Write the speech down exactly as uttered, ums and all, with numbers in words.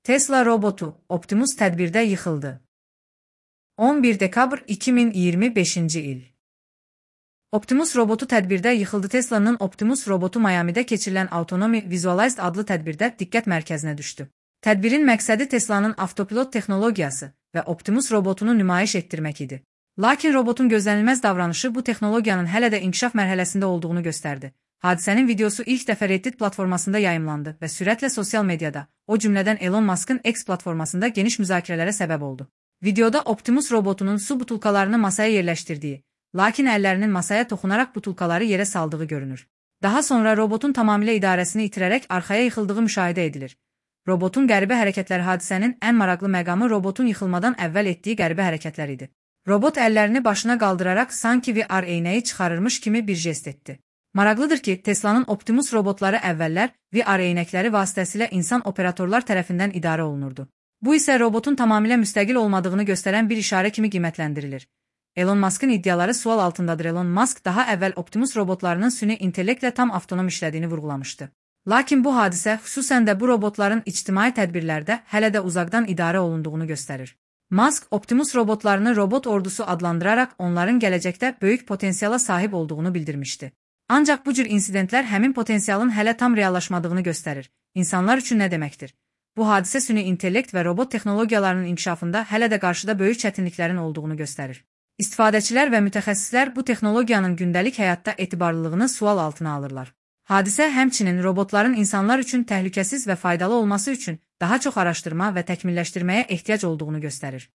Tesla robotu Optimus tədbirdə yıxıldı. on bir dekabr iki min iyirmi beşinci il. Optimus robotu tədbirdə yıxıldı. Tesla'nın Optimus robotu Miami'də keçirilən Autonomy Visualized adlı tədbirdə diqqət mərkəzinə düşdü. Tədbirin məqsədi Tesla'nın avtopilot texnologiyası və Optimus robotunu nümayiş etdirmək idi. Lakin robotun gözlənilməz davranışı bu texnologiyanın hələ də inkişaf mərhələsində olduğunu göstərdi. Hadisənin videosu ilk dəfə Reddit platformasında yayımlandı və sürətlə sosial mediada, o cümlədən Elon Musk'ın X platformasında geniş müzakirələrə səbəb oldu. Videoda Optimus robotunun su butulkalarını masaya yerləşdirdiyi, lakin əllərinin masaya toxunaraq butulkaları yerə saldığı görünür. Daha sonra robotun tamamilə idarəsini itirərək arxaya yıxıldığı müşahidə edilir. Robotun qəribə hərəkətləri hadisənin ən maraqlı məqamı robotun yıxılmadan əvvəl etdiyi qəribə hərəkətlər idi. Robot əllərini başına qaldıraraq sanki V R eynəyi çıxarırmış kimi bir jest etdi. Maraqlıdır ki, Tesla'nın Optimus robotları əvvəllər V R eynəkləri vasitəsilə insan operatorlar tərəfindən idarə olunurdu. Bu isə robotun tamamilə müstəqil olmadığını göstərən bir işarə kimi qiymətləndirilir. Elon Musk'ın iddiaları sual altındadır. Elon Musk daha əvvəl Optimus robotlarının süni intellektlə tam avtonom işlədiyini vurğulamışdı. Lakin bu hadisə xüsusən də bu robotların ictimai tədbirlərdə hələ də uzaqdan idarə olunduğunu göstərir. Musk Optimus robotlarını robot ordusu adlandıraraq onların gələcəkdə böyük potensiala sahib olduğunu bildirmişdi. Ancaq bu cür insidentlər həmin potensialın hələ tam reallaşmadığını göstərir. İnsanlar üçün nə deməkdir? Bu hadisə süni intellekt və robot texnologiyalarının inkişafında hələ də qarşıda böyük çətinliklərin olduğunu göstərir. İstifadəçilər və mütəxəssislər bu texnologiyanın gündəlik həyatda etibarlılığını sual altına alırlar. Hadisə həmçinin robotların insanlar üçün təhlükəsiz və faydalı olması üçün daha çox araşdırma və təkmilləşdirməyə ehtiyac olduğunu göstərir.